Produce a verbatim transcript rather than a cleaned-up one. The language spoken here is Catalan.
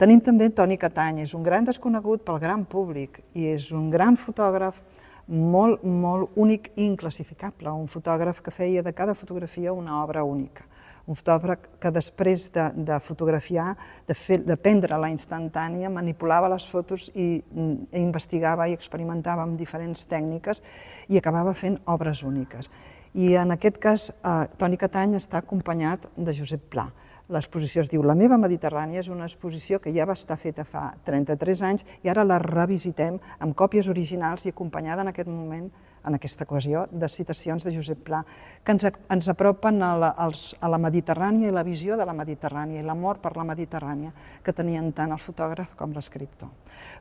Tenim també Toni Catany, és un gran desconegut pel gran públic i és un gran fotògraf molt, molt únic i inclassificable, un fotògraf que feia de cada fotografia una obra única. Un fotògraf que després de, de fotografiar, de, fer, de prendre la instantània, manipulava les fotos i, i investigava i experimentava amb diferents tècniques i acabava fent obres úniques. I en aquest cas, eh, Toni Catany està acompanyat de Josep Pla. L'exposició es diu La meva Mediterrània, és una exposició que ja va estar feta fa trenta-tres anys i ara la revisitem amb còpies originals i acompanyada en aquest moment, en aquesta ocasió, de citacions de Josep Pla, que ens, ens apropen a la, als, a la Mediterrània i la visió de la Mediterrània i l'amor per la Mediterrània que tenien tant el fotògraf com l'escriptor.